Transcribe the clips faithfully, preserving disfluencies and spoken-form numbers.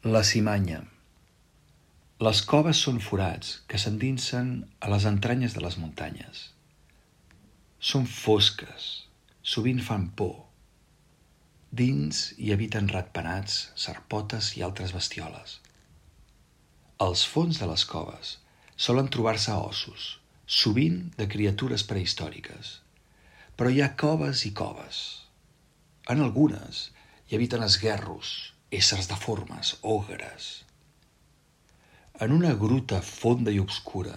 La cimanya. Les coves són forats que s'endinsen a les entranyes de les muntanyes. Són fosques, sovint fan por. Dins hi habiten ratpenats, sarpotes i altres bestioles. Als fons de les coves solen trobar-se ossos, sovint de criatures prehistòriques. Però hi ha coves i coves. En algunes hi habiten esguerros, éssers deformes, ogres. En una gruta fonda i obscura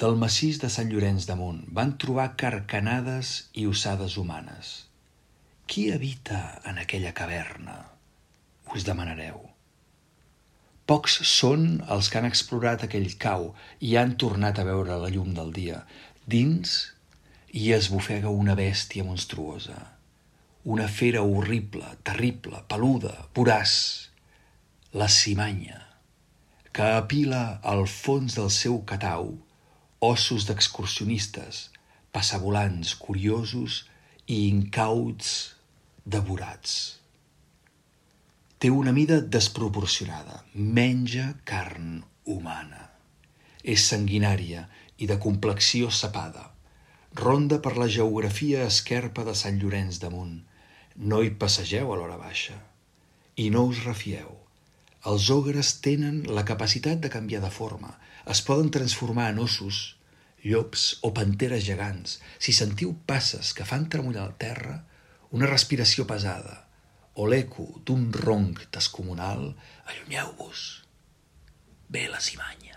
del massís de Sant Llorenç de Munt van trobar carcanades i ossades humanes. Qui habita en aquella caverna? Us demanareu. Pocs són els que han explorat aquell cau i han tornat a veure la llum del dia. Dins hi esbufega una bèstia monstruosa, una fera horrible, terrible, peluda, voraç, la cimanya, que apila al fons del seu catau ossos d'excursionistes, passavolants, curiosos i incauts devorats. Té una mida desproporcionada, menja carn humana. És sanguinària i de complexió sapada. Ronda per la geografia esquerpa de Sant Llorenç de Munt. No hi passegeu a l'hora baixa. I no us refieu. Els ogres tenen la capacitat de canviar de forma. Es poden transformar en ossos, llops o panteres gegants. Si sentiu passes que fan tremollar la terra, una respiració pesada o l'eco d'un ronc descomunal, allunyeu-vos. Ve la cimanya.